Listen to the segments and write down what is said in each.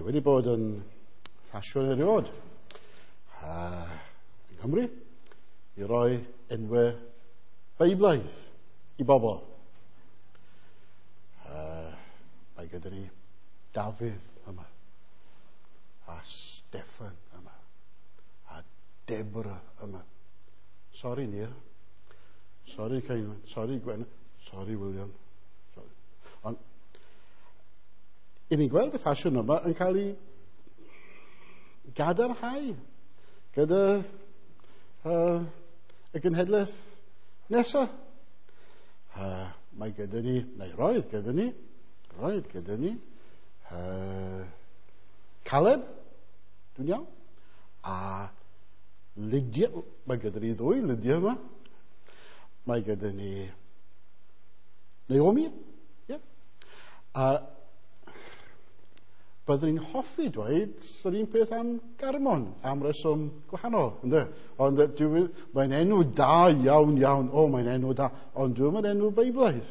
wedi bod yn ffasiwn erioed yng Nghymru i roi enwau Beiblaidd i bobl. Mae gyda ni Dafydd yma, a Steffan yma, a Deborah yma. Sori, Nia. Sori, Ceinwen. Sori, Gwen. Sori, William. Sorry. Ond, i ni'n gweld y ffasiwn yma yn cael ei gadarnhau gyda y genhedlaeth nesaf. Mae gyda ni, neu roedd gyda ni, Caleb, dwi'n iawn, a Lydia, mae gyda ni ddwy Lydia yma. Mae gyda ni Naomi, yeah. A byddwn ni'n hoffi dweud yr un peth am Garmon, am reswm gwahanol, ynddo? Ond mae'n enw da iawn, iawn. O, mae'n enw da, ond dwi'n mynd enw Beiblaidd.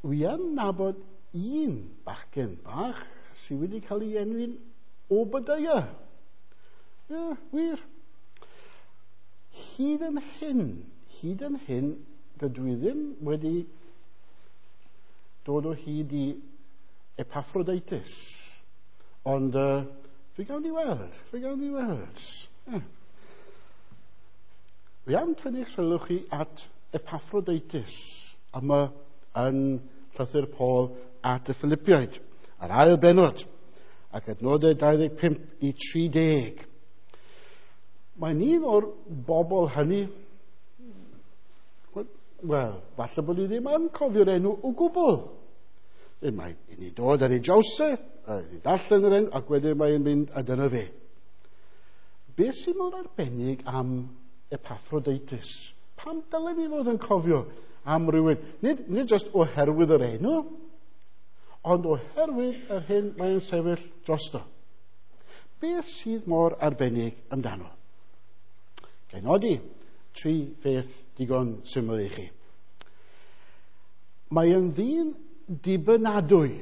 Wi yn nabod un bachgen bach sydd wedi cael ei enwi'n Obadiah. Ie, yeah, wir. Hyd yn hyn, dydw i ddim wedi dod o hyd i Epaphroditus. Ond fe gawn ni weld. Yeah. Fi am tynnu'ch sylw chi at Epaphroditus yma yn llythyr Paul at y Philippiaid, yr ail bennod, ac adnodau 25 i 30. Mae'n un o'r bobl hynny, wel, falle bod ni ddim yn cofio'r enw o gwbl. Mae i ni dod ar ei draws e, i darllen yr enw, ac wedyn mae'n mynd a dyna fe. Beth sy'n mor arbennig am Epaphroditus? Pam dylen ni fod yn cofio am rhywun? Nid just oherwydd yr enw, ond oherwydd yr hyn mae'n sefyll drosto. Beth sydd mor arbennig amdano? Ga i nodi tri pheth digon syml i chi. Mae yn ddyn dibynadwy.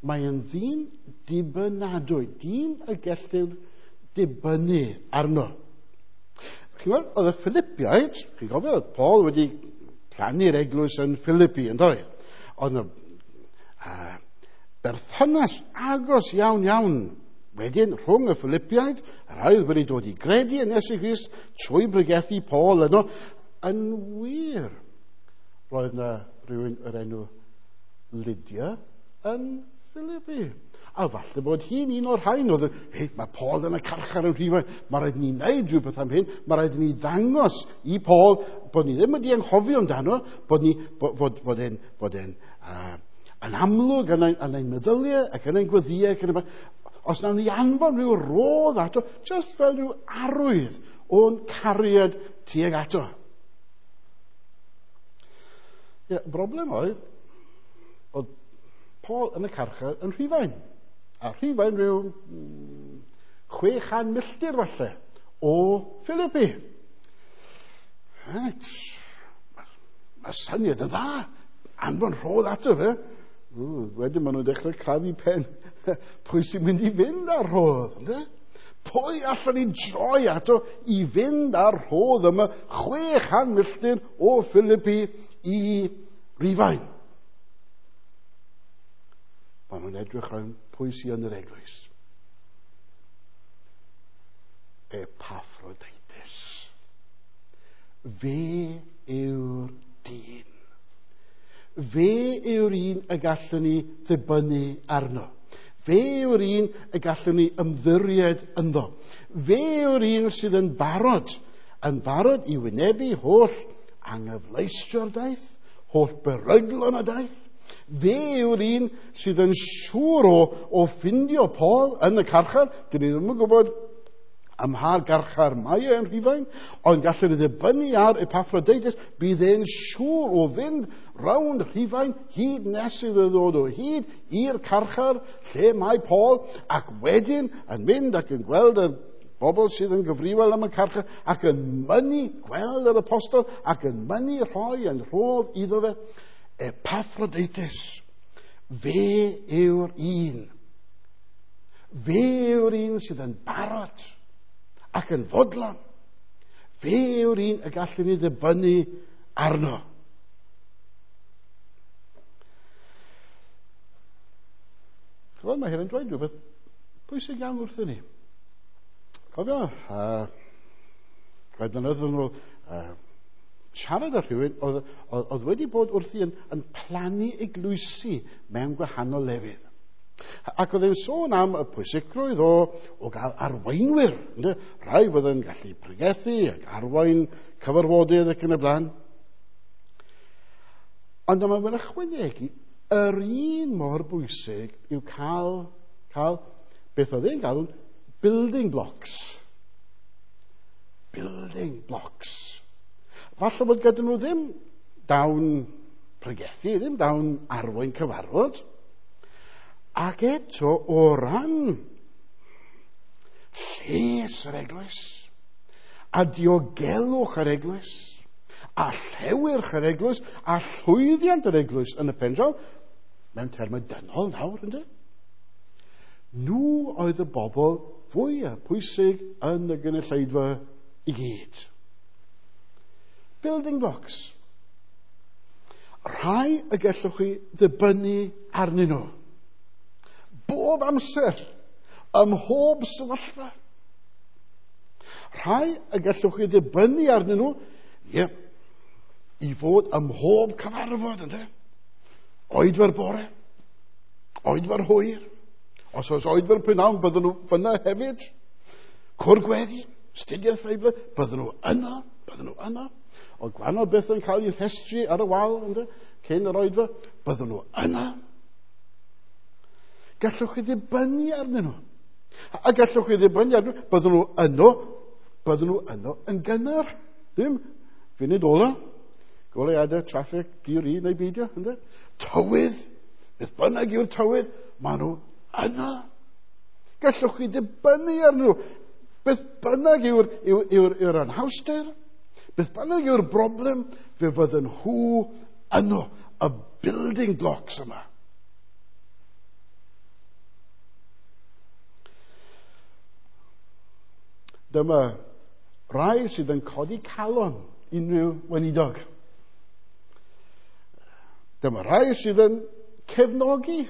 Mae yn ddyn dibynadwy. Dyn y gellir dibynnu arno. Chi'n gweld, oedd y Philippiaid, chi'n cofio, oedd Paul wedi plannu'r eglwys yn Philippi, yn doedd? Oedd yna berthynas agos iawn iawn wedyn rhwng y Philippiaid, y rhai oedd wedi dod i gredu yn Iesu Grist trwy bregethu Paul yno. Yn wir, roedd yna rhywun yr enw Lydia yn Philippi. A falle bod hi'n un o'r rhain oedd, hei, mae Paul yn y carchar yn Rhufain, mae rhaid ni wneud rhywbeth am hyn, mae rhaid ni ddangos i Paul bod ni ddim wedi anghofio amdano, bod e'n yn amlwg yn ein meddyliau ac yn ein gweddïau ac yn y... Os nawn ni anfon rhyw rodd ato, just fel rhyw arwydd o'n cariad tuag ato. Ie, broblem oedd Paul yn y carchar yn Rhufain. A Rhufain rhyw 600 milltir falle o Philippi. Right. Mae syniad yn dda. Anfon rhodd ato fe. Wedyn maen nhw'n dechrau crafu pen. Pwy sy'n mynd i fynd ar rhodd? Ynde? Pwy allan ni droi ato i fynd ar rhodd yma 600 milltir o Philippi i Rufain? Maen nhw'n edrych rhan pwy sy'n yn yr eglwys. Epaphroditus. Fe yw'r dyn. Fe yw'r un y gallwn ni ddibynnu arno. Fe yw'r un y gallwn ni ymddiried ynddo. Fe yw'r un sydd yn barod i wynebu holl anghyfleustra'r daith, holl beryglon y daith. Fe yw'r un sydd yn siŵr o ffindio Paul yn y carchar. Dyn ni ddim yn gwybod ym mha garchar mae e yn Rhufain, ond gallwn ni ddibynnu ar Epaphroditus, bydd e'n siŵr o fynd rownd Rhufain hyd nes iddo ddod o hyd i'r carchar lle mae Paul, ac wedyn yn mynd ac yn gweld y bobl sydd yn gyfrifol am y carchar, ac yn mynnu gweld yr apostol, ac yn mynnu rhoi yn rhodd iddo fe. Epaphroditus. Fe yw'r un. Fe yw'r un sydd yn barod ac yn fodlon. Fe yw'r un y gallwn ni ddibynnu arno. Chymod, mae hyn yn dweud rhywbeth pwysig iawn wrthyn ni. Cofio, rhai blynyddoedd yn ôl, siarad â rhywun oedd wedi bod wrthi yn plannu eglwysi mewn gwahanol lefydd. Ac oedd e'n sôn am y pwysigrwydd o gael arweinwyr. Ynde? Rhai fydd yn gallu pregethu ac arwain cyfarfodydd ac yn y blaen. Ond mae'n ychwanegu, yr un mor bwysig yw cael beth oedd e'n galw'n building blocks. Building blocks. Falle bod gyda nhw ddim dawn pregethu, ddim dawn arwain cyfarfod. Ac eto, o ran lles yr eglwys, a diogelwch yr eglwys, a llewyrch yr eglwys, a llwyddiant yr eglwys yn y pen draw, mewn termau dynol nawr, ynddo? Nhw oedd y bobl fwyaf pwysig yn y gynulleidfa i gyd. Building blocks. Rhai y gallwch chi ddibynnu arnyn nhw. Bob amser, ym mhob sefyllfa. Rhai y gallwch chi ddibynnu arnyn nhw, ie, i fod ym mhob cyfarfod, ynddo? Oedfa'r bore, oedfa'r hwyr. Os oes oedfa'r prynhawn, bydden nhw fyna hefyd. Cwr gweddi, astudiaeth Feibl, bydden nhw yno, bydden nhw yno. O gwahanol beth yn cael ei rhestru ar y wal, ynddo, cyn yr oedfa, bydden nhw yno. Gallwch chi ddibynnu arnyn nhw. A gallwch chi ddibynnu arnyn nhw, bydden nhw yno yn gynnar. Ddim funud ola. Goleuadau, traffig, gyrru neu beidio, ynddo? Tywydd, beth bynnag yw'r tywydd, maen nhw yno. Gallwch chi ddibynnu arnyn nhw. Beth bynnag yw'r anhawster, beth bynnag yw'r broblem, fe fydden nhw yno, y building blocks yma. Dyma rai sydd yn codi calon unrhyw weinidog. Dyma rai sydd yn cefnogi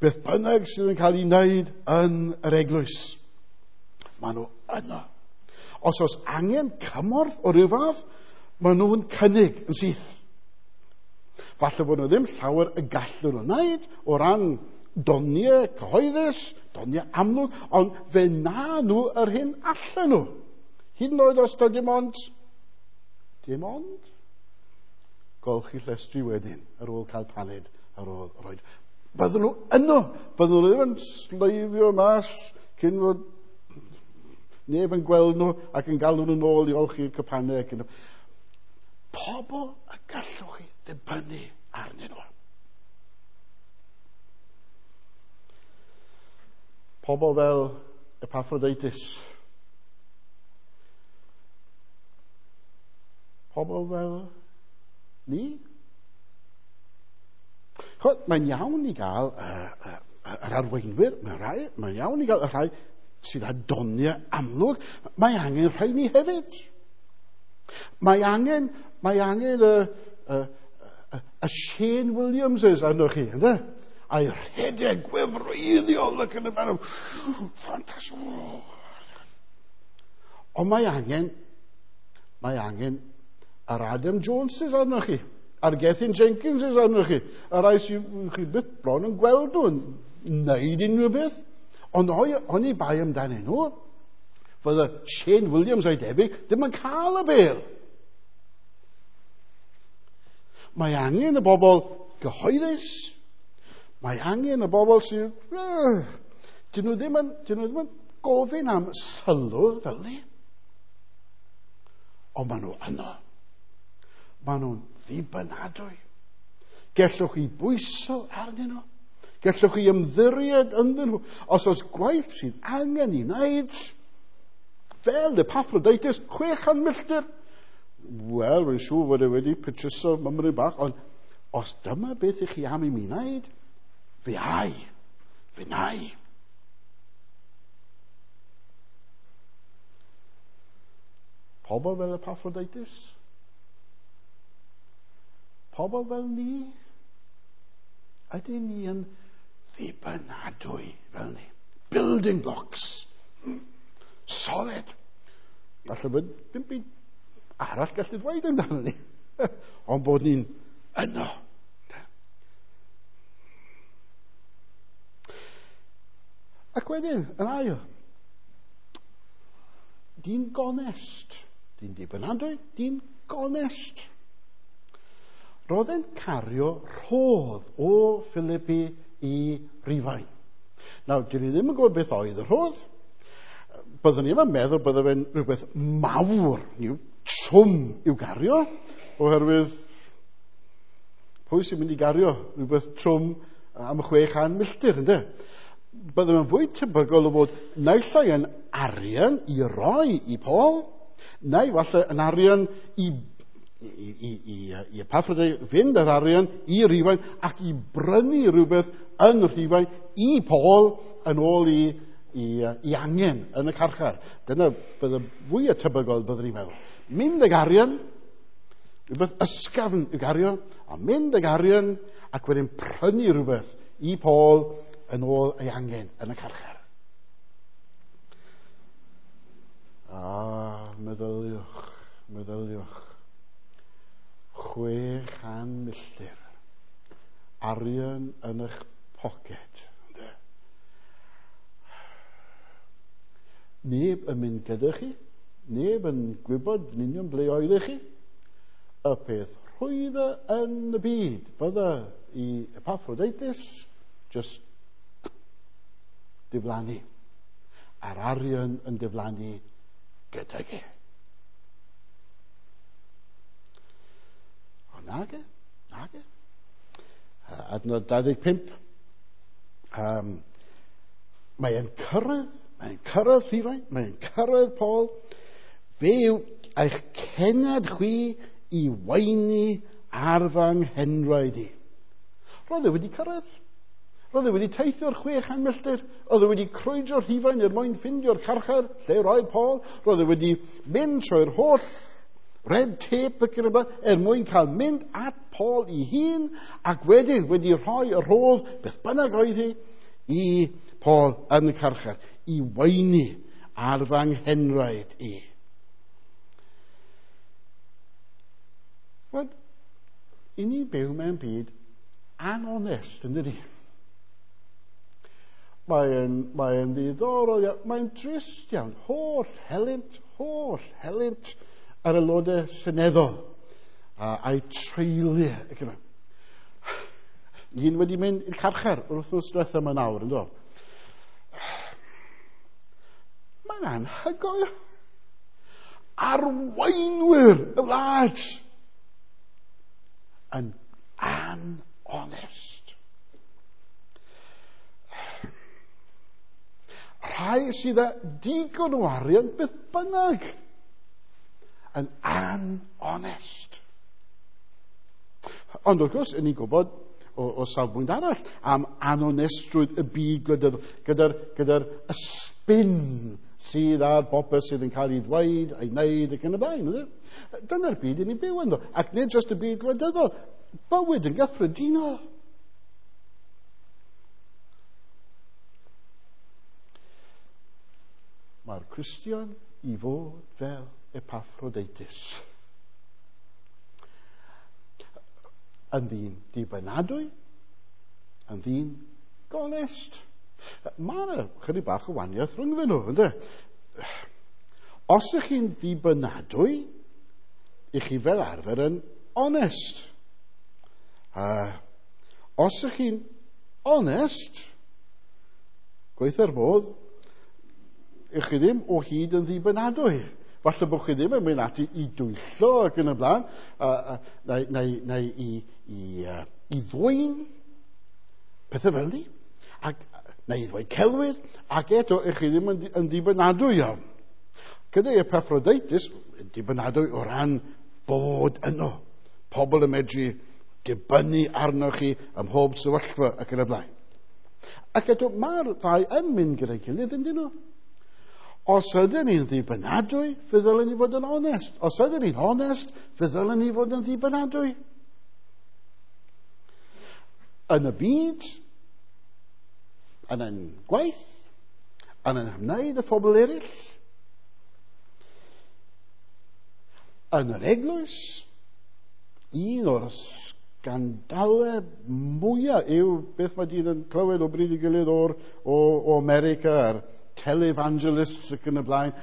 beth bynnag sydd yn cael ei wneud yn yr eglwys. Maen nhw yno. Os oes angen cymorth o ryw fath, maen nhw'n cynnig yn syth. Falle bod nhw ddim llawer y gallu nhw wneud o ran doniau cyhoeddus, doniau amlwg, ond fe na nhw yr hyn allan nhw. Hyd yn oed os dim ond, golchi llestri wedyn ar ôl cael paned, ar ôl roed. Bydden nhw yno, bydden nhw ddim yn sleifio mas cyn fod neb yn gweld nhw ac yn galw nhw'n ôl i olchi'r cypanau. Ac yn... Pobl y gallwch chi ddibynnu arnyn nhw. Pobl fel Epaphroditus. Pobl fel ni. Chod, mae'n iawn i gael yr arweinwyr, mae'n iawn i gael y rhai sydd â doniau amlwg. Mae angen rhai ni hefyd. Mae angen y Shane Williamses arnoch chi, ynddo? A'i rhedeg gwefreiddiol ac yn y fan. Ffantastig. Ond mae angen yr Adam Joneses arnoch chi, a'r Gethin Jenkinses arnoch chi, y rhai sydd chi byth bron yn gweld nhw'n wneud unrhyw beth. Ond oni bai amdanyn nhw, fydde Shane Williams a'i debyg ddim yn cael y bêl. Mae angen y bobl gyhoeddus, mae angen y bobl sydd... Dyn nhw ddim yn gofyn am sylw fel ni. Ond maen nhw yno. Maen nhw'n ddibynadwy. Gellwch chi bwyso arnyn nhw. Gellwch chi ymddiried ynddyn nhw. Os oes gwaith sydd angen i wneud, fel Epaphroditus, 600 milltir. Wel, rwy'n siŵr fod e wedi petruso mymryn bach, Os dyma beth ych chi am i mi wneud, fe ai, fe nai. Pobl fel Epaphroditus? Pobl fel ni? Ydyn ni yn ddibynadwy fel ni? Building blocks. Solid. Falle bod dim byd arall gallu dweud amdano ni. Ond bod ni'n yno. Ac wedyn, yn ail, dyn gonest. Dyn dibynadwy, dyn gonest. Roedd e'n cario rhodd o Philippi i Rufain. Nawr, dyn ni ddim yn gwybod beth oedd y rhodd. Byddwn ni ddim yn meddwl bydde fe'n rhywbeth mawr, yw, trwm i'w gario, oherwydd pwy sy'n mynd i gario rhywbeth trwm am 600 milltir, ynddo? Bydde fe'n fwy tebygol o fod naill ai yn arian i roi i Paul, neu falle yn arian i Epaphroditus fynd â'r arian i Rufain ac i brynu rhywbeth yn Rhufain i Paul yn ôl i angen yn y carchar. Dyna bydde fwy tebygol byddwn ni'n meddwl. Mynd ag arian, rhywbeth ysgafn i'w gario, a mynd ag arian ac wedyn prynu rhywbeth i Paul yn ôl ei angen yn y carchar. Ah, meddyliwch, meddyliwch. 600 milltir. Arian yn eich poced. Neb yn mynd gyda chi, neb yn gwybod yn union ble oeddech chi. Y peth rhwydda yn y byd bydda i Epaphroditus just diflannu. A'r arian yn diflannu gydag e. O, nage, nage. Adnod 25. Mae'n cyrraedd Rhufain, mae'n cyrraedd Paul. Fe yw eich cenad chwi i weini ar fy nghenraid i. Roedd e wedi cyrraedd. Roedd e wedi teithio'r 600 milltir. Roedd e wedi crwydro Rhufain er mwyn ffindio'r carchar lle roedd Paul. Roedd e wedi mynd trwy'r holl red tape ac yn y blaen er mwyn cael mynd at Paul ei hun ac wedyn wedi rhoi y rhodd beth bynnag oedd hi i Paul yn y carchar i weini ar fy nghenraid i. Wel, i ni byw mewn byd anonest, yn dydi? Mae'n ddiddorol iawn, mae'n drist iawn. Holl helynt yr aelodau seneddol a'i treuliau. Un wedi mynd i'r carchar yr wythnos diwethaf yma nawr, yn do? Mae'n anhygoel. Arweinwyr y wlad yn anonest. Rhai sydd â digon o arian beth bynnag yn anonest. Ond wrth gwrs, ni'n gwybod o safbwynt arall am anonestrwydd y byd gwleidyddol gyda'r spin sydd ar bopeth sydd yn cael ei ddweud, ei wneud ac yn y blaen. Dyna'r byd i ni'n byw ynddo. Ac nid jyst y byd gwleidyddol, bywyd yn gyffredinol. Mae'r Cristion i fod fel Epaphroditus. Yn ddyn dibynadwy, yn ddyn gonest. Mae yna chydig bach o wahaniaeth rhyngddyn nhw, ynddo? Os ych chi'n ddibynadwy, ych chi fel arfer yn onest. Os ych chi'n onest, gweitha'r modd, ych chi ddim o hyd yn ddibynadwy. Falle bod chi ddim yn mynd ati i dwyllo ac yn y blaen, neu i ddwyn, pethau fel ni, ac, neu i ddweud celwydd, ac eto ych chi ddim yn ddibynadwy iawn. Gyda Epaphroditus, dibynadwy o ran bod yno. Pobl yn medru dibynnu arnoch chi ym mhob sefyllfa ac yn y blaen. Ac eto, mae'r ddau yn mynd gyda'i gilydd, yndyn nhw? Os ydyn ni'n ddibynadwy, fe ddylen ni fod yn onest. Os ydyn ni'n onest, fe ddylen ni fod yn ddibynadwy. Yn y byd, yn ein gwaith, yn ein hymwneud â phobl eraill, yn yr eglwys, un o'r sgandalau mwyaf yw beth mae dyn yn clywed o bryd i gilydd o America a'r televangelists ac yn y blaen.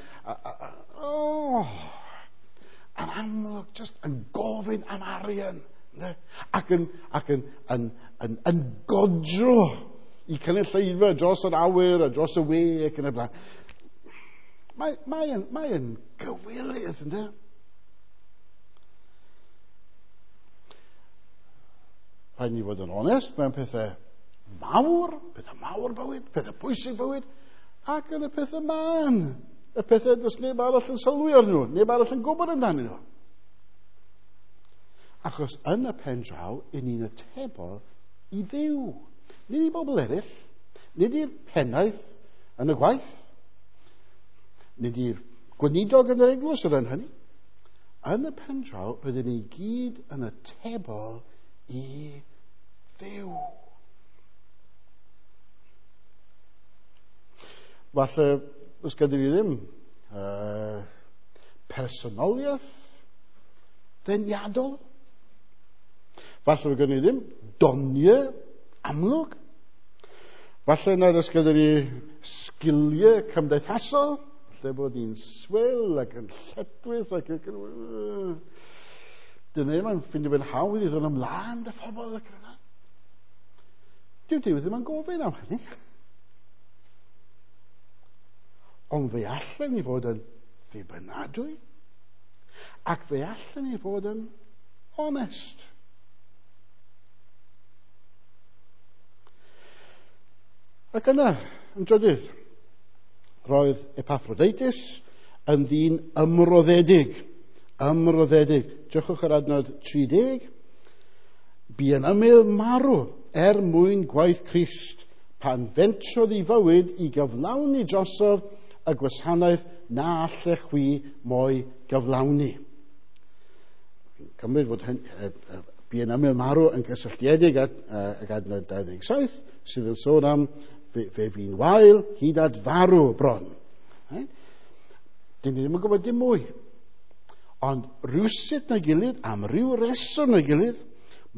Yn amlwg, just yn gofyn am arian. Ne? Ac yn godro i cynulleidfa dros yr awyr a dros y we ac yn y blaen. Mae'n gywilydd, ynddo? Rhaid ni fod yn onest mewn pethau mawr bywyd, pethau pwysig bywyd, ac yn y pethau mân, y pethau does neb arall yn sylwi arnyn nhw, neb arall yn gwybod amdanyn nhw. Achos yn y pen draw, i ni'n atebol i Dduw. Nid i bobl eraill, nid i'r pennaeth yn y gwaith, nid i'r gweinidog yn yr eglwys o ran hynny. Yn y pen draw, rydyn ni gyd yn atebol i Dduw. Falle, os gyda ni ddim personoliaeth ddeniadol. Falle gyda ni ddim doniau amlwg. Falle nad oes gyda ni sgiliau cymdeithasol. Falle bod ni'n swil ac yn lledwyth ac yn... Dyna ddim yn ffindio fe'n hawdd i ddod ymlaen dy phobl ac yna. Dyw Duw ddim yn gofyn am hynny. Ond fe allan ni fod yn ddibynadwy ac fe allan ni fod yn onest. Ac yna, yn drydydd, roedd Epaphroditus yn ddyn ymroddedig. Ymroddedig. Drychwch ar adnod 30. Bu yn ymyl marw er mwyn gwaith Crist, pan fentrodd ei fywyd i gyflawni drosodd y gwasanaeth na allech chwi mo'i gyflawni. Cymryd fod bu yn ymyl marw yn gysylltiedig ag adnod 27, sydd yn sôn am fe fi'n wael hyd at farw bron. Right? Dyn ni ddim yn gwybod dim mwy. Ond rhywsut na gilydd, am ryw reswm na gilydd,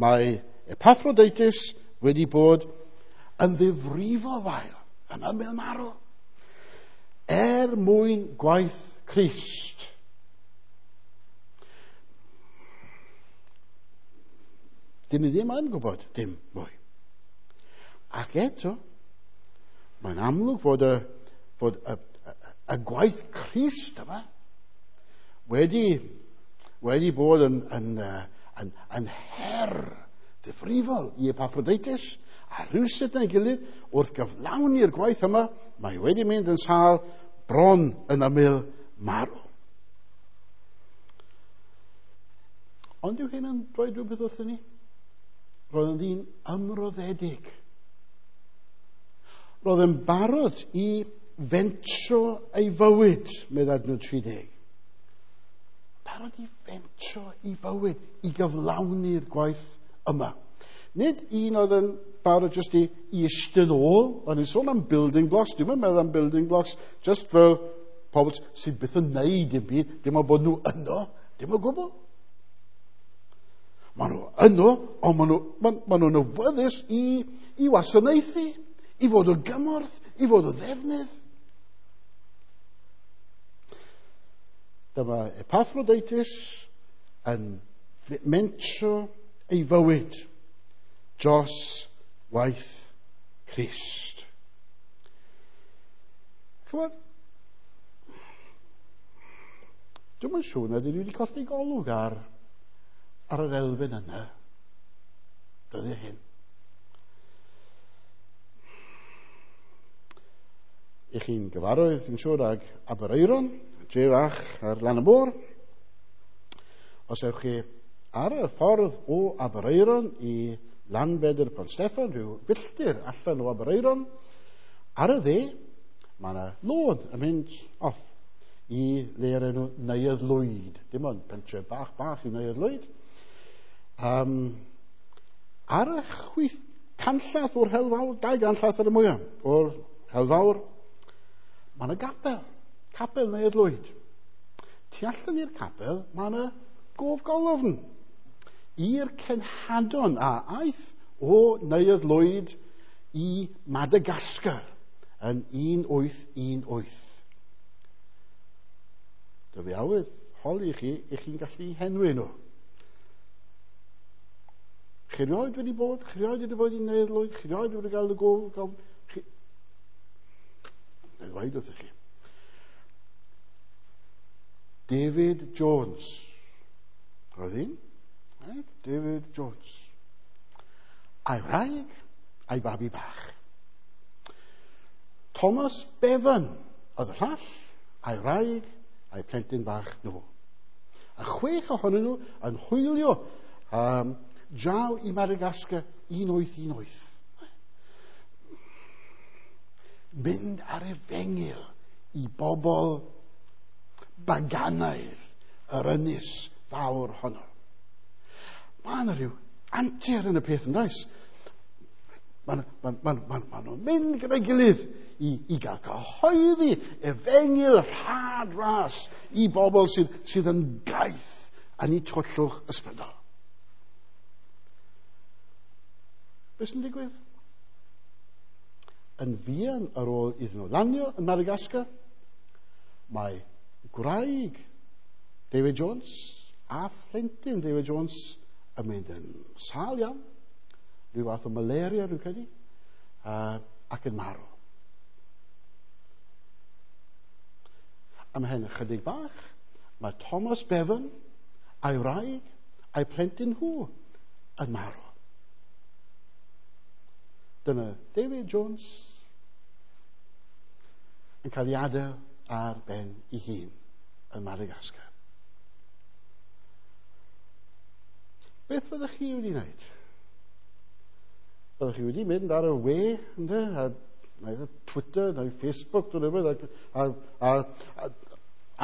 mae Epaphroditus wedi bod yn ddifrifol wael, yn ymyl marw, er mwyn gwaith Crist. Dyn ni ddim yn gwybod dim mwy. Ac eto, mae'n amlwg fod y gwaith Crist yma wedi bod yn her ddifrifol i Epaphroditus, a rhywsut na'i gilydd, wrth gyflawni'r gwaith yma, mae wedi mynd yn sâl bron yn ymyl marw. Ond yw hyn yn dweud rhywbeth wrthyn ni? Roedd yn ddyn ymroddedig. Roedd yn barod i fentro ei fywyd, meddai adnod 30. Barod i fentro ei fywyd, i gyflawni'r gwaith yma. Nid un oedd yn barod jyst i eistedd ôl. O'n i'n sôn am building blocks. Dwi'n meddwl am building blocks just fel pobl sydd byth yn neud dim byd. Dim ond bod nhw yno. Dim o gwbl. Maen nhw yno, ond maen nhw'n awyddus i wasanaethu, i fod o gymorth, i fod o ddefnydd. Dyma Epaphroditus yn mentro ei fywyd dros waith Crist. Chymod, dwi'm yn siŵr nad ydw i wedi colli golwg ar yr elfen yna dyddiau hyn. I chi'n gyfarwydd, dwi'n siŵr, ag Aberaeron, dre fach ar lan y môr. Os ewch chi Ar y ffordd o Aberaeron i Lanbedr Pont Steffan, rhyw filltir allan o Aberaeron, ar y dde, mae yna lôn yn mynd off i le o'r enw Neuadd Lwyd. Dim ond pentre bach bach i Neuadd Lwyd. Ar y chwith canllath o'r Helfawr, 2 ganllath ar y mwyaf o'r Helfawr, mae yna gapel, capel Neuadd Lwyd. Tu allan i'r capel, mae yna gofgolofn i'r cenhadon a aeth o Neuadd Lwyd i Madagascar yn 1818. Dwi fi awydd holi chi, i chi'n gallu henwi nhw. Chi rioed wedi bod? Chi rioed wedi bod i Neuadd Lwyd? Chi rioed wedi gael y gof? Chi... Neu ddweud wrthych chi. David Jones. Oedd un? Right? David Jones. A'i wraig, a'i babi bach. Thomas Bevan oedd y llall, a'i wraig, a'i plentyn bach nhw. A 6 ohonyn nhw yn hwylio draw i Madagascar 1818. Mynd ar efengyl i bobl baganaidd yr ynys fawr honno. Mae yna rhyw antur yn y peth yn does? Maen nhw'n mynd gyda'i gilydd i gael cyhoeddi efengyl rhad ras i bobl sydd yn gaeth yn eu tywyllwch ysbrydol. Beth sy'n digwydd? Yn fuan ar ôl iddyn nhw lanio yn Madagascar, mae gwraig David Jones a phlentyn David Jones yn mynd yn sâl iawn, rhyw fath o malaria rwy'n credu, ac yn marw. Ymhen ychydig bach, mae Thomas Bevan a'i wraig a'i plentyn nhw yn marw. Dyna David Jones yn cael ei adael ar ben ei hun yn Madagascar. Beth fyddech chi wedi wneud? Byddech chi wedi mynd ar y we, ynddo? A neu Twitter, neu Facebook, neu rhywbeth, a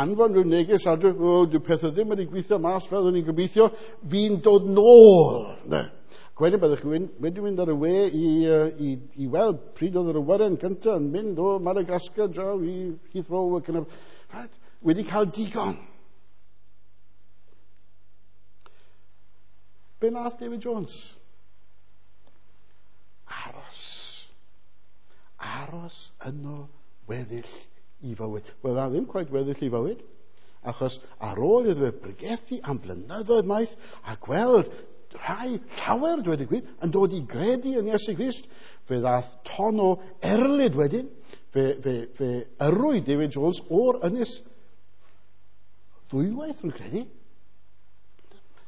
anfon rhyw neges adre, o, dyw pethau ddim wedi gweithio mas fel o'n i'n gobeithio, fi'n dod nôl, ynddo? Ac wedyn byddech chi wedi mynd ar y we i weld pryd oedd yr awyren gyntaf yn mynd o Madagascar draw i Heathrow ac yn y... Right, wedi cael digon. Be nath David Jones? Aros. Aros yno weddill i fywyd. Wel, na ddim quite weddill i fywyd, achos ar ôl iddo fe bregethu am flynyddoedd maith a gweld rhai llawer, dweud y gwir, yn dod i gredu yn Iesu Grist, fe ddath ton o erlid wedyn, fe yrrwyd David Jones o'r ynys ddwywaith, rwy'n credu,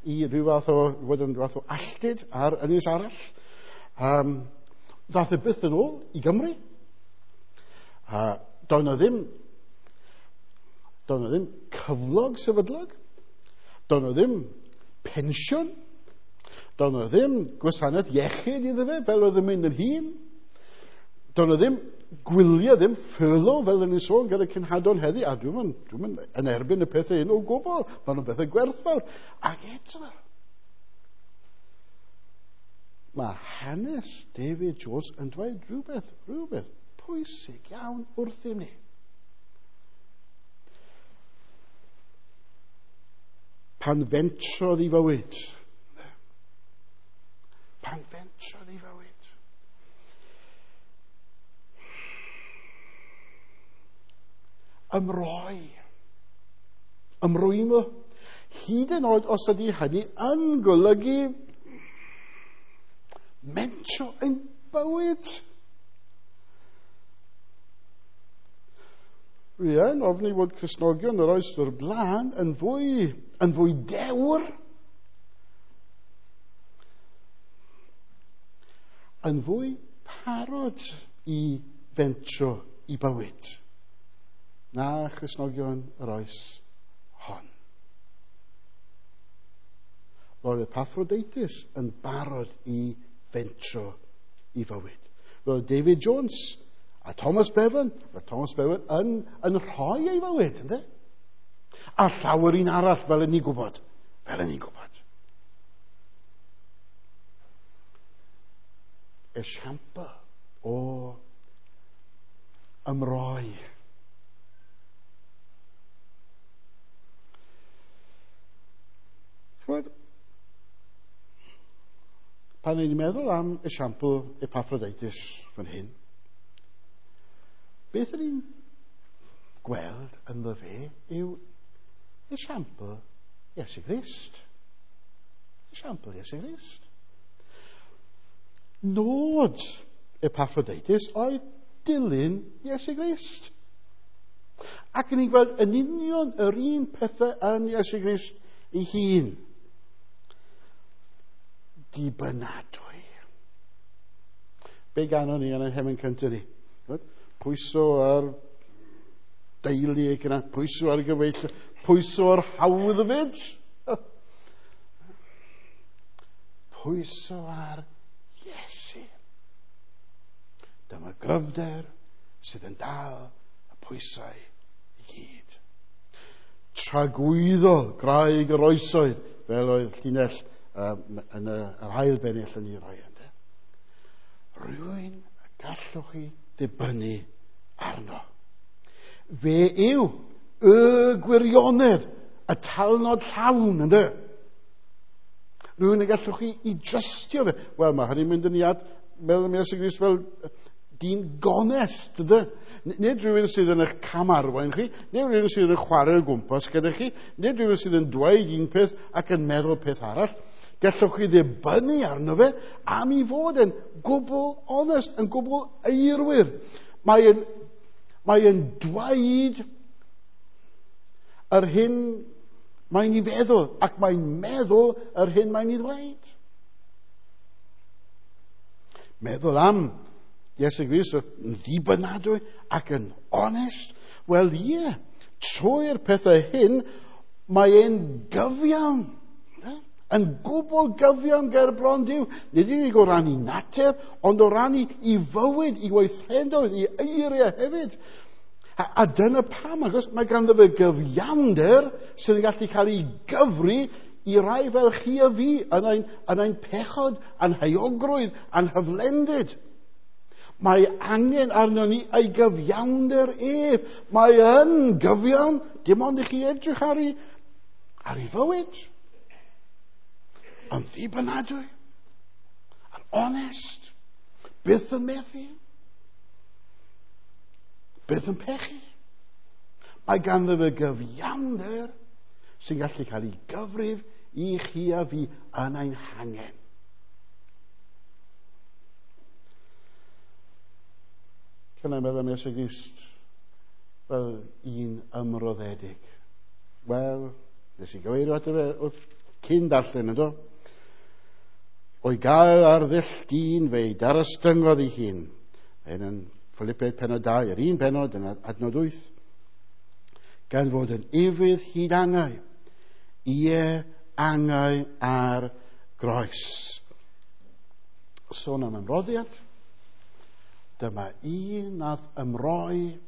i rhyw fath o, fod yn rhyw fath o alltid ar ynys arall. Ddath e byth yn ôl i Gymru. Doedd 'na ddim cyflog sefydlog, doedd 'na ddim pensiwn, doedd 'na ddim gwasanaeth iechyd iddo fe fel oedd yn mynd yn hŷn, doedd 'na ddim gwyliau, ddim furlough fel o'n i'n sôn gyda cenhadon heddi, a dwi'm yn erbyn y pethau hyn o gwbl, maen nhw'n bethau gwerthfawr. Ac eto, mae hanes David Jones yn dweud rhywbeth pwysig iawn wrthym ni. Pan fentrodd i fywyd. Pan fentrodd i fywyd. Ymroi. Ymrwymo. Hyd yn oed os ydy hynny yn golygu mentro ein bywyd. Dwi yn ofni fod Cristnogion yr oes o'r blaen yn fwy dewr, yn fwy parod i fentro i bywyd na Christnogion yr oes hon. Roedd Epaphroditus yn barod i fentro i fywyd. Roedd David Jones a Thomas Bevan, roedd Thomas Bevan yn rhoi ei fywyd, ynddo? A llawer un arall, fel yn ni gwybod. Fel yn ni gwybod. Esiampl o ymroi. Chymod, pan ni'n meddwl am esiampl Epaphroditus fan hyn, beth ydyn ni'n gweld ynddo fe yw esiampl Iesu Grist. Esiampl Iesu Grist. Nod Epaphroditus oedd dilyn Iesu Grist. Ac ni'n gweld yn union yr un pethau yn Iesu Grist ei hun. Dibynadwy. Be ganon ni yn ein hemyn cyntaf ni? Pwyso ar deulu ac yna, pwyso ar gyfeill, pwyso ar hawddfyd. Pwyso ar Iesu. Dyma gryfder sydd yn dal y pwysau i gyd. Tragwyddol graig yr oesoedd, fel oedd llinell yn yr ail bennill yn ei roi. Ynde? Rhywun y gallwch chi ddibynnu arno. Fe yw y gwirionedd, y talnod llawn, ynddo? Rhywun y gallwch chi i drystio fe. Wel, mae hynny'n mynd yn iad, meddwl am Iesu Grist fel dyn gonest, ynddo? Nid rhywun sydd yn eich camarwain chi, nid rhywun sydd yn chwarae o gwmpas gyda chi, nid rhywun sydd yn dweud un peth ac yn meddwl peth arall. Gallwch chi ddibynnu arno fe am i fod yn gwbl onest, yn gwbl eirwir. Mae yn dweud yr hyn mae'n ei feddwl, ac mae'n meddwl yr hyn mae'n ei ddweud. Meddwl am Iesu Grist yn ddibynadwy ac yn onest. Wel, ie, trwy'r pethau hyn, mae e'n gyfiawn. Yn gwbl gyfiawn ger bron Duw. Nid unig o ran ei natur, ond o ran ei fywyd, ei weithredoedd, ei eiriau hefyd. A dyna pam, achos mae ganddo fe gyfiawnder sydd yn gallu cael ei gyfri i rai fel chi a fi yn ein pechod, a'n heuogrwydd, a'n hyflendid. Mae angen arno ni ei gyfiawnder ef. Mae yn gyfiawn, dim ond i chi edrych ar ei fywyd. Yn ddibynadwy, yn onest, byth yn methu, byth yn pechu. Mae ganddo fe gyfiawnder sy'n gallu cael ei gyfrif i chi a fi yn ein hangen. Cynnau meddwl am Iesu Grist fel un ymroddedig. Wel, nes i gyfeirio ato fe wrth cyn darllen, ynddo? O'i gael ar ddull dyn fe'i darostyngodd ei hun. Hyn yn Philippiaid pennod 2, yr un pennod yn adnod 8. Gan fod yn ufudd hyd angau, ie angau ar groes. Sôn am ymroddiad. Dyma un nath ymroi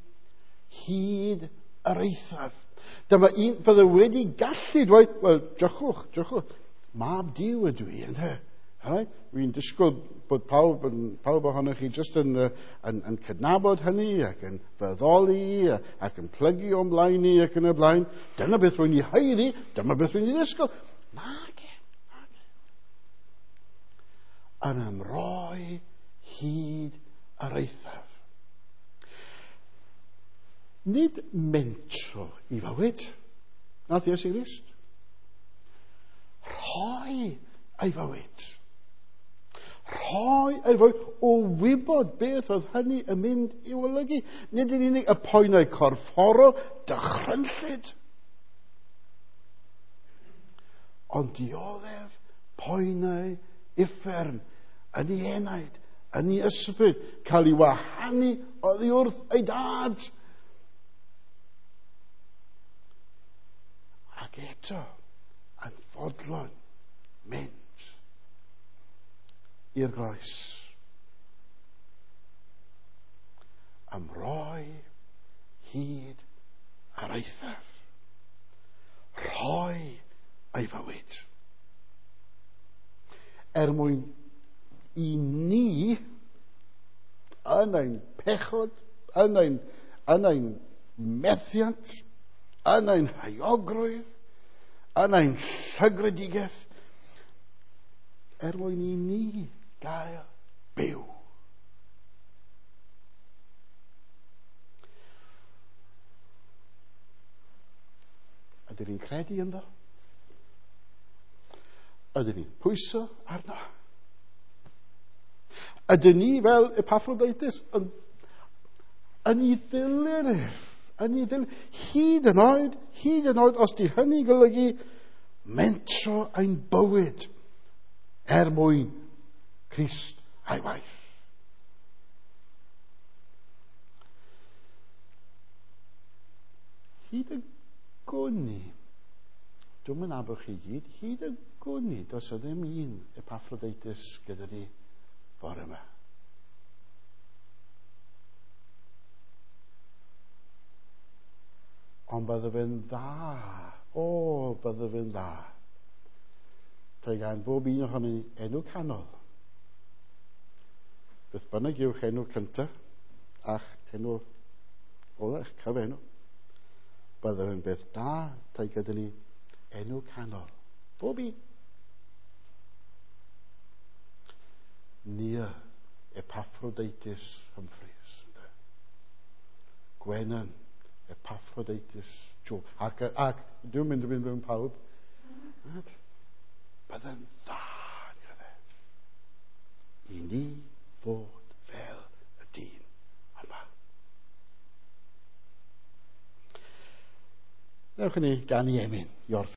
hyd yr eithaf. Dyma un fydde wedi gallu dweud, wel, drychwch, mab Duw ydw i, ynde? Right? Dwi'n disgwyl bod pawb ohonoch chi jyst yn cydnabod hynny ac yn feddoli ac yn plygu o'n blaen ni ac yn y blaen. Dyna beth rwy'n ei haeddu, dyma beth rwy'n ei ddisgwyl. Nage. Yn ymroi hyd yr eithaf. Nid mentro i fywyd, nath Iesu Grist. Rhoi ei fywyd. Rhoi ei fywyd o wybod beth oedd hynny yn mynd i'w olygu. Nid yn unig y poenau corfforol, dychrynllyd, ond dioddef poenau uffern yn ei enaid, yn ei ysbryd, cael ei wahanu oddi wrth ei dad. Ac eto, yn fodlon mynd i'r groes. Ymroi hyd ar eithaf. Rhoi ei fywyd. Er mwyn i ni, yn ein pechod, yn ein methiant, yn ein heuogrwydd, yn ein llygredigaeth, er mwyn i ni gael byw. Ydyn ni'n credu ynddo? Ydyn ni'n pwyso arno? Ydyn ni fel Epaphroditus yn ei ddilyn ef? Yn ei ddilyn, hyd yn oed, os di hynny'n golygu mentro ein bywyd er mwyn Crist a'i waith. Hyd y gwn i, dwi'm yn nabod chi gyd, hyd y gwn i, does o ddim un Epaphroditus gyda ni bore yma. Ond bydde fe'n dda. O, bydde fe'n dda. Tai gan bob un ohonyn ni enw canol. Beth bynnag yw'ch enw cyntaf, a'ch enw ola, eich cyfenw. Bydde fe'n beth da, tai gyda ni enw canol. Bob un. Nia Epaphroditus Humphreys. Gwenan Epaphroditus Joe. Ac dwi'n mynd i fynd mewn pawb. Bydde'n dda, i ni fod fel y dyn yma. Newch i ni ganu emyn i orffen.